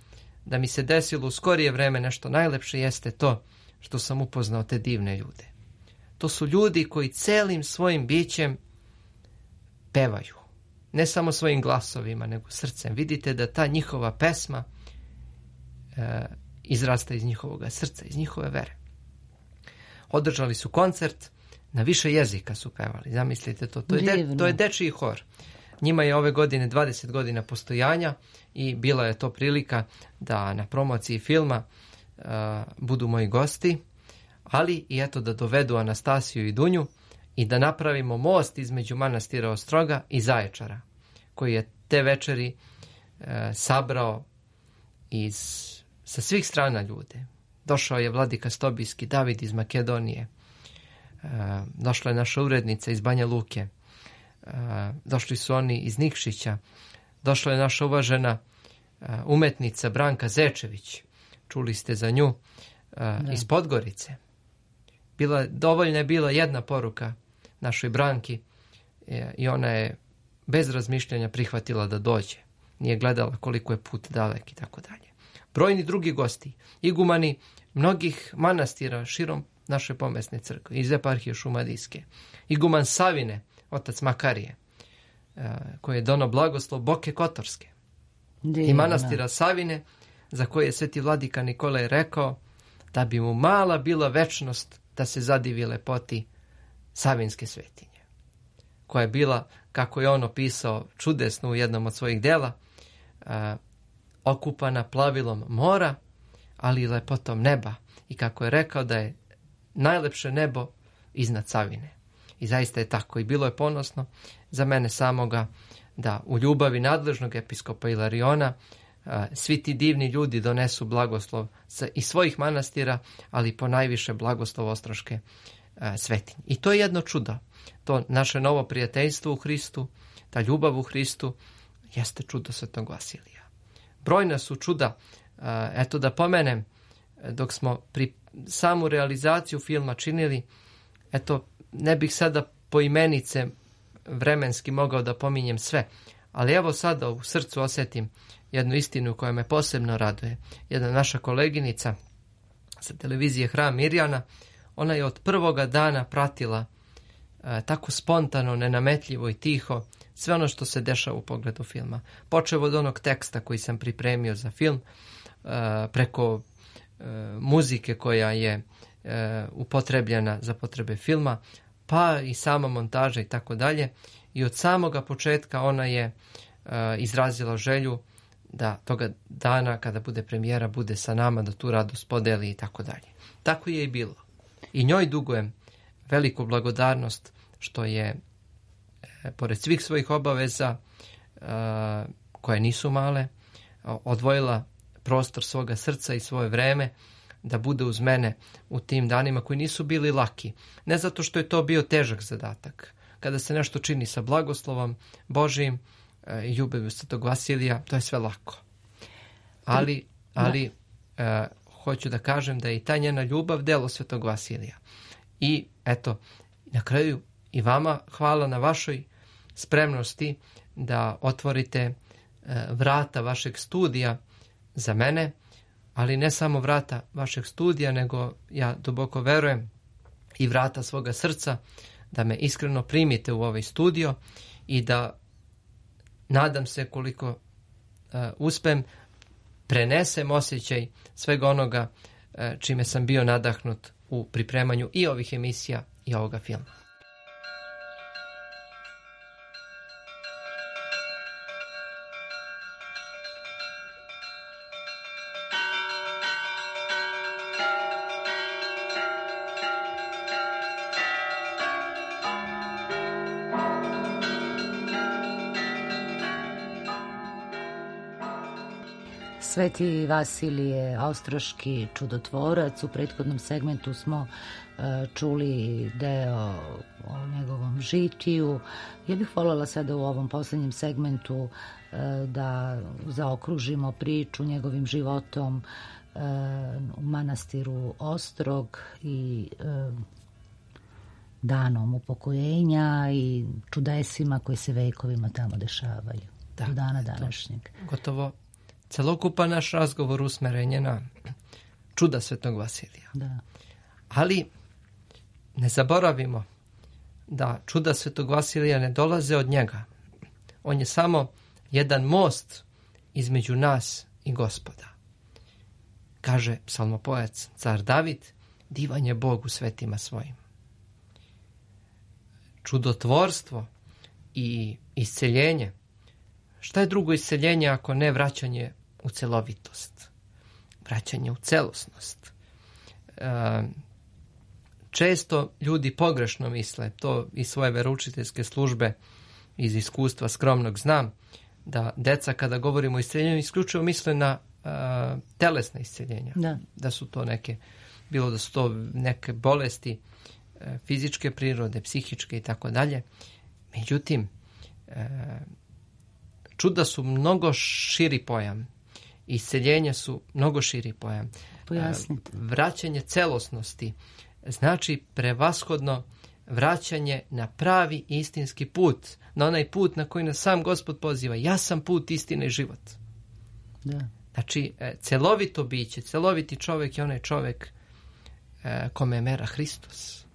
da mi se desilo u skorije vreme, nešto najlepše, jeste to što sam upoznao te divne ljude. To su ljudi koji celim svojim bićem pevaju. Ne samo svojim glasovima, nego srcem. Vidite da ta njihova pesma izrasta iz njihovog srca, iz njihove vere. Održali su koncert, na više jezika su pevali. Zamislite to. To je dečiji hor. Njima je ove godine 20 godina postojanja i bila je to prilika da na promociji filma budu moji gosti, ali i eto da dovedu Anastasiju i Dunju i da napravimo most između manastira Ostroga i Zaječara, koji je te večeri sabrao sa svih strana ljude. Došao je vladika Stobijski, David iz Makedonije, došla je naša urednica iz Banja Luke, došli su oni iz Nikšića, došla je naša uvažena umetnica Branka Zečević, čuli ste za nju, iz Podgorice. Dovoljna je bila jedna poruka našoj Branki i ona je bez razmišljanja prihvatila da dođe. Nije gledala koliko je put dalek i tako dalje. Brojni drugi gosti, igumani mnogih manastira širom naše pomesne crkve, iz eparhije Šumadijske, iguman Savine, otac Makarije, koji je dono blagoslov Boke Kotorske, i manastira Savine, za koje je sveti vladika Nikolaj rekao da bi mu mala bila večnost da se zadivi lepoti Savinske svetinje, koja je bila, kako je on opisao čudesno u jednom od svojih dela, okupana plavilom mora, ali i lepotom neba, i kako je rekao da je najlepše nebo iznad Savine. I zaista je tako. I bilo je ponosno za mene samoga da u ljubavi nadležnog episkopa Ilariona svi ti divni ljudi donesu blagoslov iz svojih manastira, ali po najviše blagoslov Ostroške svetinje. I to je jedno čudo. To naše novo prijateljstvo u Hristu, ta ljubav u Hristu, jeste čudo Svetog Vasilija. Brojna su čuda. Eto da pomenem, dok smo pri samu realizaciju filma činili, eto, ne bih sada poimenice vremenski mogao da pominjem sve, ali evo sada u srcu osjetim jednu istinu koja me posebno raduje. Jedna naša koleginica sa televizije Hram Mirjana, ona je od prvoga dana pratila tako spontano, nenametljivo i tiho sve ono što se dešava u pogledu filma. Počev od onog teksta koji sam pripremio za film, preko muzike koja je upotrebljena za potrebe filma, pa i sama montaža i tako dalje. I od samoga početka ona je izrazila želju da toga dana kada bude premijera bude sa nama, da tu radost podeli i tako dalje. Tako je i bilo. I njoj dugujem veliku blagodarnost što je pored svih svojih obaveza, koje nisu male, odvojila prostor svoga srca i svoje vreme da bude uz mene u tim danima koji nisu bili laki. Ne zato što je to bio težak zadatak. Kada se nešto čini sa blagoslovom Božijim i ljubavlju Svetog Vasilija, to je sve lako. Ali hoću da kažem da je i ta njena ljubav delo Svetog Vasilija. I eto, na kraju i vama hvala na vašoj spremnosti da otvorite vrata vašeg studija za mene, ali ne samo vrata vašeg studija, nego ja duboko verujem i vrata svoga srca, da me iskreno primite u ovaj studio i da, nadam se koliko uspem, prenesem osjećaj svega onoga čime sam bio nadahnut u pripremanju i ovih emisija i ovoga filma. Sveti Vasilije Ostroški čudotvorac. U prethodnom segmentu smo čuli deo o njegovom žitiju. Ja bih voljela sada u ovom poslednjem segmentu da zaokružimo priču njegovim životom u manastiru Ostrog i danom upokojenja i čudesima koji se vekovima tamo dešavaju do dana današnjeg. Gotovo celokupan naš razgovor usmeren je na čuda Svetog Vasilija. Da. Ali ne zaboravimo da čuda Svetog Vasilija ne dolaze od njega. On je samo jedan most između nas i Gospoda. Kaže psalmopojac, car David, divan je Bog u svetima svojim. Čudotvorstvo i isceljenje. Šta je drugo isceljenje ako ne vraćanje u celovitost? Vraćanje u celosnost. Često ljudi pogrešno misle, to iz svoje veroučiteljske službe, iz iskustva skromnog znam, da deca kada govorimo o isceljenju isključivo misle na telesna isceljenja. Da su to bilo da su to neke bolesti fizičke prirode, psihičke i tako dalje. Međutim, čuda su mnogo širi pojam. Isceljenja su mnogo širi pojam. Pojasnite. Vraćanje celosnosti znači prevashodno vraćanje na pravi istinski put, na onaj put na koji nas sam Gospod poziva. Ja sam put, istina i život. Da. Znači, celovito biće, celoviti čovjek je onaj čovjek kome je mera Hristos.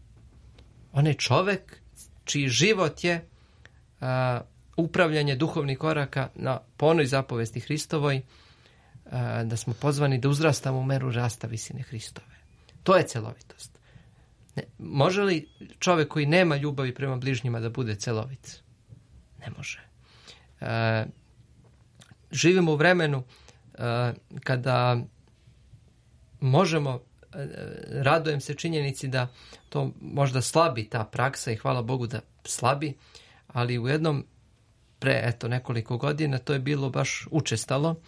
Onaj čovjek čiji život je upravljanje duhovnih koraka po onoj zapovesti Hristovoj, da smo pozvani da uzrastamo u meru rasta visine Hristove. To je celovitost. Može li čovjek koji nema ljubavi prema bližnjima da bude celovit? Ne može. Živimo u vremenu kada možemo, radujem se činjenici da to možda slabi ta praksa i hvala Bogu da slabi, ali u jednom nekoliko godina to je bilo baš učestalo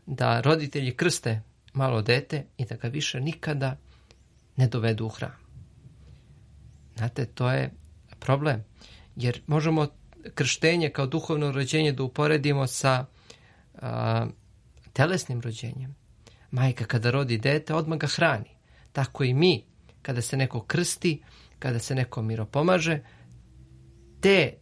da roditelji krste malo dete i da ga više nikada ne dovedu u hram. Znate, to je problem, jer možemo krštenje kao duhovno rođenje da uporedimo sa telesnim rođenjem. Majka kada rodi dete, odmah ga hrani. Tako i mi, kada se neko krsti, kada se neko miropomaže, te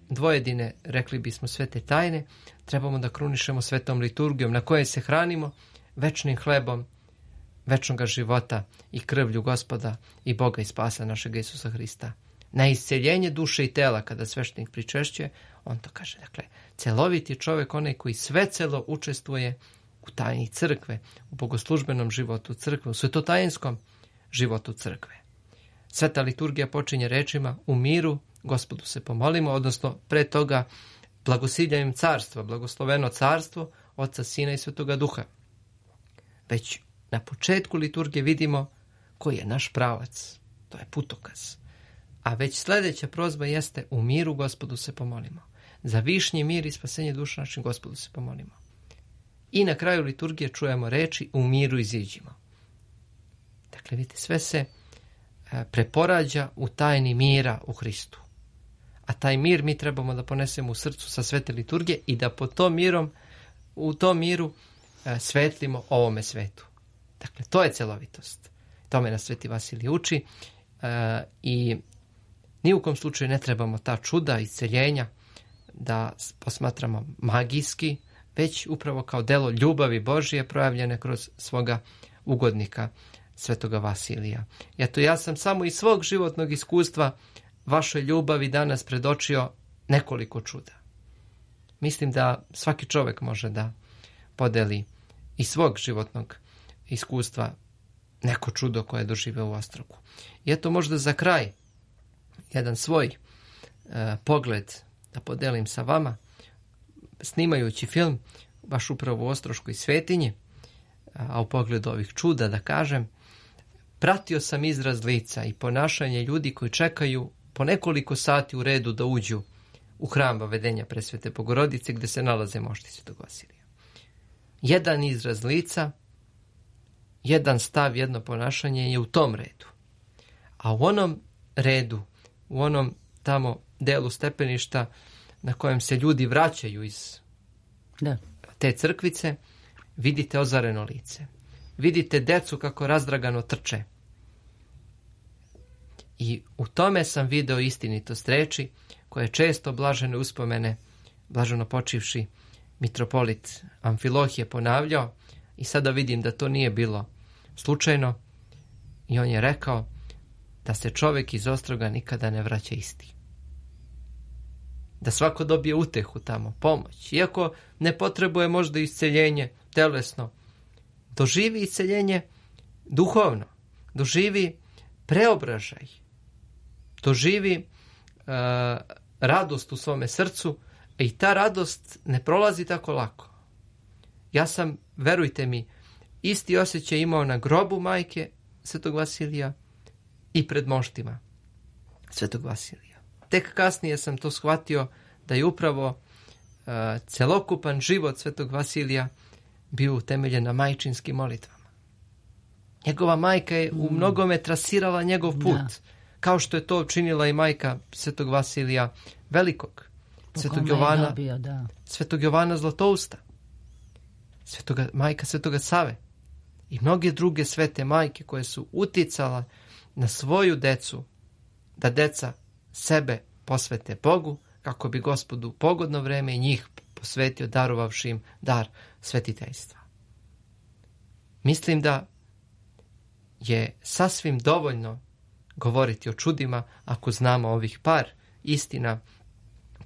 dvojedine, rekli bismo svete tajne, trebamo da krunišemo svetom liturgijom na kojoj se hranimo večnim hlebom večnog života i krvlju Gospoda i Boga i spasa našeg Isusa Hrista. Na isceljenje duše i tela, kada sveštenik pričešćuje, on to kaže. Dakle, celoviti čovjek, onaj koji svecelo učestvuje u tajni crkve, u bogoslužbenom životu crkve, u svetotajinskom životu crkve. Sveta liturgija počinje rečima u miru Gospodu se pomolimo, odnosno pre toga blagosiljanjem carstva, blagosloveno carstvo Otca, Sina i Svetoga Duha. Već na početku liturgije vidimo koji je naš pravac. To je putokaz. A već sljedeća prozba jeste u miru Gospodu se pomolimo. Za višnji mir i spasenje duša našim Gospodu se pomolimo. I na kraju liturgije čujemo reči u miru iziđimo. Dakle, vidite, sve se preporađa u tajni mira u Hristu. A taj mir mi trebamo da ponesemo u srcu sa svete liturgije i da u tom miru svetlimo ovome svetu. Dakle, to je celovitost. Tome nas Sveti Vasilij uči i ni u kom slučaju ne trebamo ta čuda isceljenja da posmatramo magijski, već upravo kao delo ljubavi Božije projavljene kroz svoga ugodnika Svetoga Vasilija. Eto, ja sam samo iz svog životnog iskustva vašoj ljubavi danas predočio nekoliko čuda. Mislim da svaki čovjek može da podeli iz svog životnog iskustva neko čudo koje je doživio u Ostrogu. I eto, možda za kraj jedan svoj pogled da podelim sa vama, snimajući film baš upravo u Ostroškoj svetinji, a u pogledu ovih čuda da kažem, pratio sam izraz lica i ponašanje ljudi koji čekaju po nekoliko sati u redu da uđu u hram Vavedenja Presvete Bogorodice gdje se nalaze mošti Svetog Vasilija. Jedan izraz lica, jedan stav, jedno ponašanje je u tom redu. A u onom redu, u onom tamo delu stepeništa na kojem se ljudi vraćaju iz te crkvice, vidite ozareno lice. Vidite decu kako razdragano trče. I u tome sam video istinitost reči koje često blažene uspomene, blaženo počivši mitropolit Amfilohije ponavljao i sada vidim da to nije bilo slučajno i on je rekao da se čovjek iz Ostroga nikada ne vraća isti. Da svako dobije utehu tamo, pomoć. Iako ne potrebuje možda isceljenje telesno, doživi isceljenje duhovno, doživi preobražaj, doživi radost u svome srcu i ta radost ne prolazi tako lako. Ja sam, verujte mi, isti osjećaj imao na grobu majke Svetog Vasilija i pred moštima Svetog Vasilija. Tek kasnije sam to shvatio da je upravo celokupan život Svetog Vasilija bio utemeljen na majčinskim molitvama. Njegova majka je u mnogome trasirala njegov put, kao što je to učinila i majka Svetog Vasilija Velikog, Svetog Jovana Zlatousta, majka Svetoga Save i mnoge druge svete majke koje su uticala na svoju decu, da deca sebe posvete Bogu, kako bi Gospodu u pogodno vreme i njih posvetio, darovavši im dar svetiteljstva. Mislim da je sasvim dovoljno govoriti o čudima ako znamo ovih par istina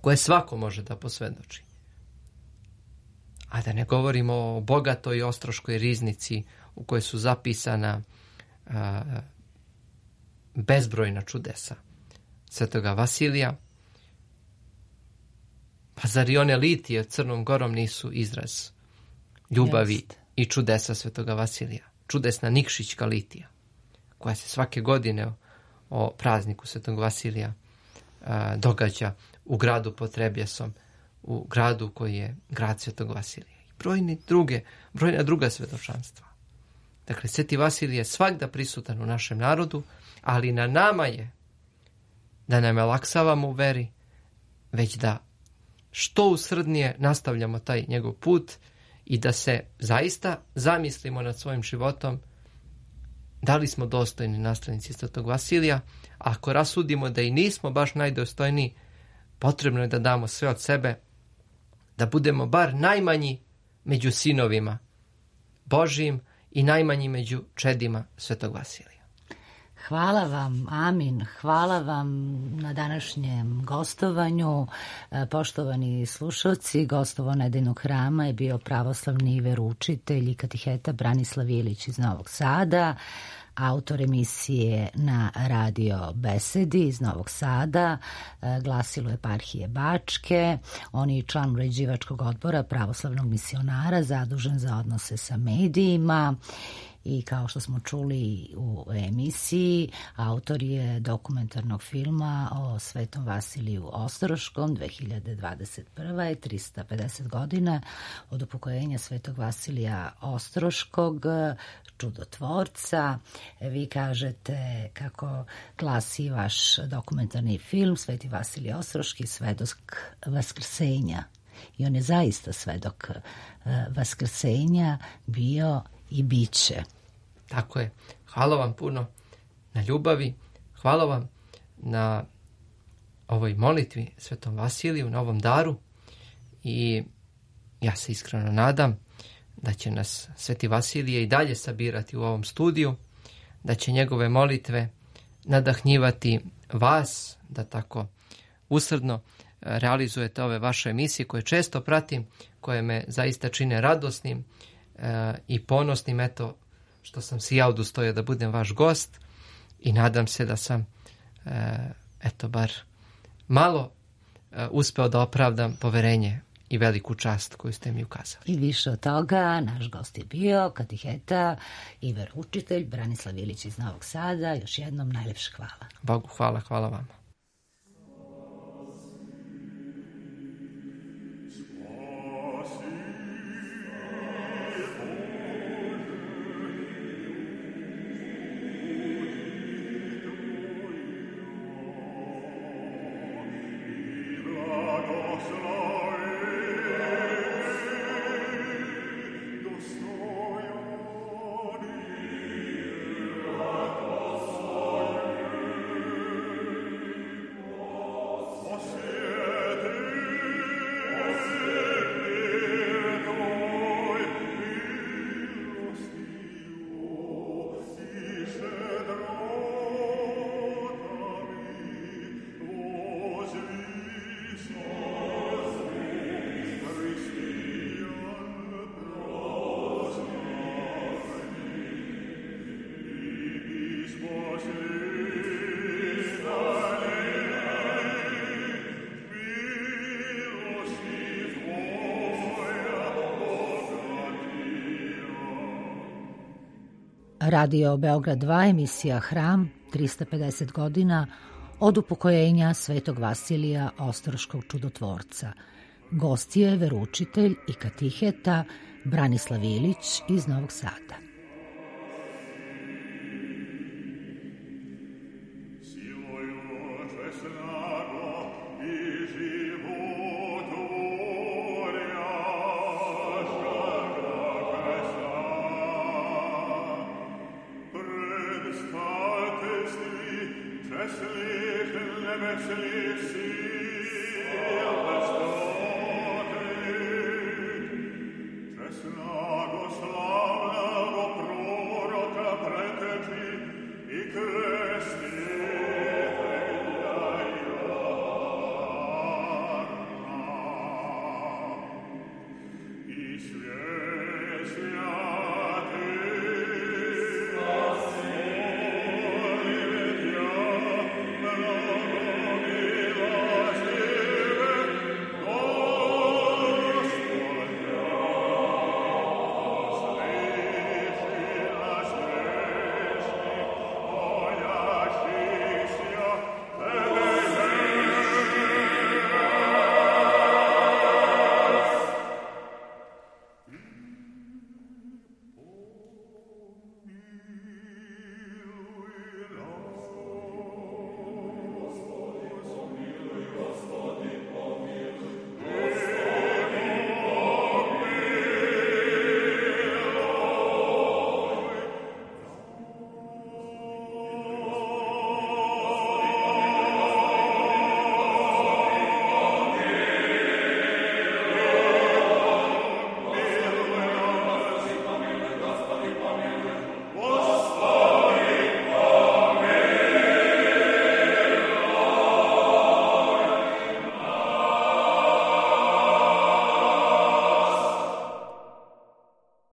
koje svako može da posvjedoči. A da ne govorimo o bogatoj ostroškoj riznici u kojoj su zapisana bezbrojna čudesa Svetoga Vasilija. Pa zar i one litije Crnom Gorom nisu izraz ljubavi i čudesa Svetoga Vasilija? Čudesna Nikšićka litija, koja se svake godine o prazniku Svetog Vasilija događa u gradu pod Trebjesom, u gradu koji je grad Svetog Vasilija. I brojna druga svjedočanstva. Dakle, Sveti Vasilij je svagda prisutan u našem narodu, ali na nama je da ne malaksavamo u veri, već da što usrdnije nastavljamo taj njegov put i da se zaista zamislimo nad svojim životom da li smo dostojni nasljednici Svetog Vasilija. A ako rasudimo da i nismo baš najdostojniji, potrebno je da damo sve od sebe, da budemo bar najmanji među sinovima Božijim i najmanji među čedima Svetog Vasilija. Hvala vam, amin. Hvala vam na današnjem gostovanju. Poštovani slušalci, gostovo Nedeljnog hrama je bio pravoslavni veroučitelj i katiheta Branislav Ilić iz Novog Sada, autor emisije na radio Besedi iz Novog Sada, glasilo eparhije Bačke. On je član uređivačkog odbora pravoslavnog misionara, zadužen za odnose sa medijima. I kao što smo čuli u emisiji, autor je dokumentarnog filma o Svetom Vasiliju Ostroškom. 2021. je 350 godina od upokojenja Svetog Vasilija Ostroškog, čudotvorca. Vi kažete kako glasi vaš dokumentarni film Sveti Vasilij Ostroški, svedok vaskrsenja. I on je zaista svedok vaskrsenja bio i bit će. Tako je. Hvala vam puno na ljubavi, hvala vam na ovoj molitvi Svetom Vasiliju, na ovom daru, i ja se iskreno nadam da će nas Sveti Vasilije i dalje sabirati u ovom studiju, da će njegove molitve nadahnjivati vas da tako usrdno realizujete ove vaše emisije koje često pratim, koje me zaista čine radosnim i ponosnim, eto, što sam si ja udostojio da budem vaš gost, i nadam se da sam eto bar malo uspeo da opravdam poverenje i veliku čast koju ste mi ukazali. I više od toga, naš gost je bio katiheta i veroučitelj Branislav Ilić iz Novog Sada. Još jednom najlepše hvala. Bogu hvala, hvala vama. Radio Beograd 2, emisija Hram, 350 godina od upokojenja Svetog Vasilija Ostroškog čudotvorca. Gost je veroučitelj i katiheta Branislav Ilić iz Novog Sada. Hässlich, lebenslich, sie, das